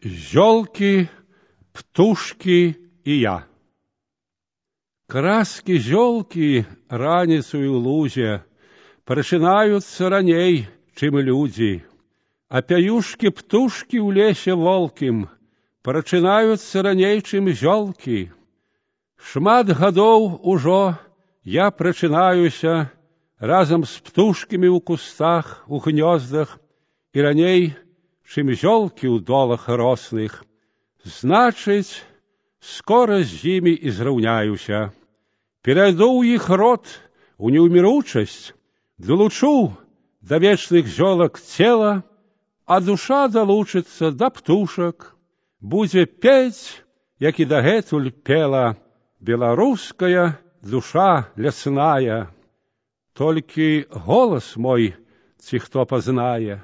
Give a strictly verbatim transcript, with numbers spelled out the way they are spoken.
Зёлки, птушки и я. Краски зёлки раніцою ў лузе прачынаюцца раней, чым людзі, а пяюшкі птушкі ў лесе волкім прачынаюцца раней, чым зёлкі. Шмат гадоў ужо я прачынаюся разам з птушкамі ў кустах, у гнёздах і раней, чым зёлкі ў долах рослых. Значыць, скора з імі і зраўняюся. Перайду ў іх род, у неўміручасць, долучу да вечных зёлак цела, а душа далучыцца да птушак, будзе пець, як і дагэтуль пела беларуская душа лясная. Толькі голас мой ці хто пазнае.